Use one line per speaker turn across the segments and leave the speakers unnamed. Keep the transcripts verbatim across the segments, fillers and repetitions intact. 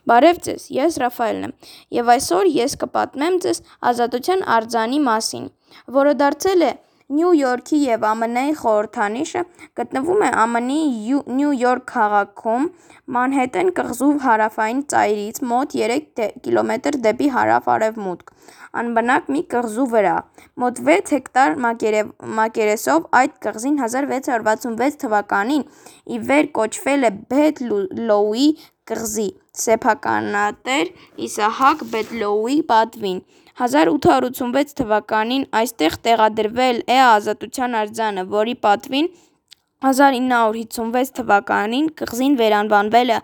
Բարև ձեզ, ես Ռաֆայելն եմ, և այսօր ես կպատմեմ ձեզ ազատության արձանի մասին, որը դարձել է Նյու Յորքի և Ամն Ի խորհրդանիշը, գտնվում է Ամն Ի Նյու Յորք քաղաքում, Մանհեթեն կղզու հարավային ծայրից մոտ երեք կիլոմետր դեպի հարավ-արևմուտք, անբնակ մի կղզու վրա, մոտ վեց հեկտար մակերեսով։ Այդ կղզին հազար վեց հարյուր վաթսունվեց թվականին ի վեր կոչվել է Բեթ-Լոուի կղզի սեփականատեր Իսահակ Բեթ-Լոուի պատվին։ Հազար ութ հարյուր ութսունվեց թվականին այստեղ տեղադրվել է ազատության արձանը, որի պատվին հազար ինը հարյուր հիսունվեց թվականին կղզին վերանվանվել է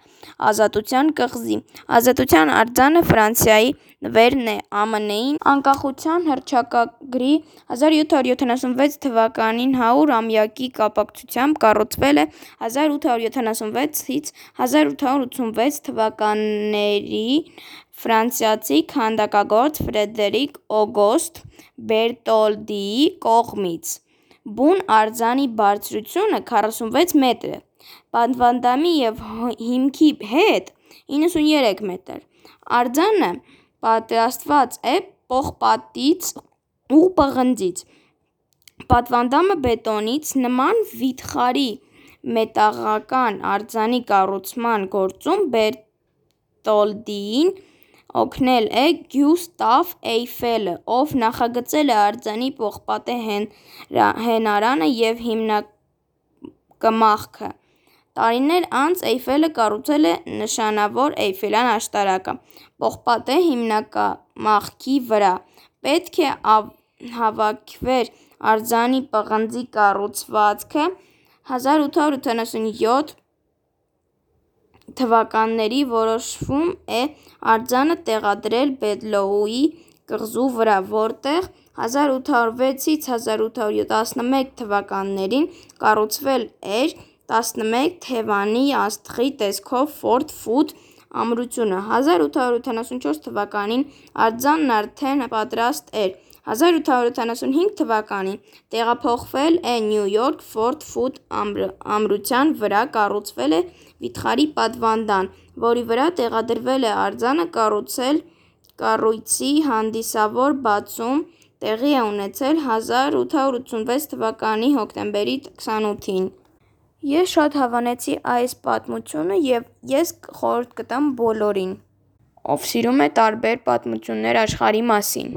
Ազատության կղզի։ Ազատության արձանը Ֆրանսիայի նվերն է Ամն Ի անկախության հռչակագրի հազար յոթ հարյուր յոթանասունվեց թվականին հարյուր-ամյակի կապակցությամբ կառուցվել է հազար ութ հարյուր յոթանասունվեցից հազար ութ հարյուր ութսունվեց թվականներին ֆրանսիացի քանդակագործ Ֆրեդերիկ Օգոստ Բերտոլդիի կողմից։ Բուն արձանի բարձրությունը քառասունվեց մետր է, պատվանդանի և հիմքի հետ իննսունուերեք մետր։ Արձանը պատրաստված է պողպատից ու պղնձից։ Պատվանդանը բետոնից։ Նման վիթխարի մետաղական արձանի կառուցման գործում Բերտոլդիին օգնել է Գյուստավ Էյֆելը, ով նախագծել է արձանի պողպատե հենարանը և հիմնակմախքը։ Տարիներ անց Էյֆելը կառուցել է նշանավոր Էյֆելյան աշտարակը պողպատե հիմնակամախքի վրա։ Պետք է հավաքվեր արձանի պղնձի կառուցվածքը։ Հազար ութ հարյուր ութանասունյոթ թվականներին որոշվում է արձանը տեղադրել Բեթ-Լոուի կղզու վրա, որտեղ հազար ութ հարյուր վեցից հազար ութ հարյուր տասնմեկ թվականներին կառուցվել էր տասնմեկ թևանի աստղի տեսքով Ֆորտ Ֆուդ ամրությունը։ Հազար ութ հարյուր ութանասունչորս թվականին արձանն արդեն պատրաստ էր։ Հազար ութ հարյուր ութանասունհինգ թվականին տեղափոխվել է Նյու Յորք։ Ֆորտ Ֆուդ ամրության վրա կառուցվել է վիթխարի պատվանդան, որի վրա տեղադրվել է արձանը։ Կառույցի հանդիսավոր բացում տեղի է ունեցել հազար ութ հարյուր ութսունվեց թվականի հոկտեմբերի քսանութին։ Ես շատ հավանեցի այս պատմությունը և ես խորհուրդ կտամ բոլորին, ով սիրում է տարբեր պատմություններ աշխարհի մասին։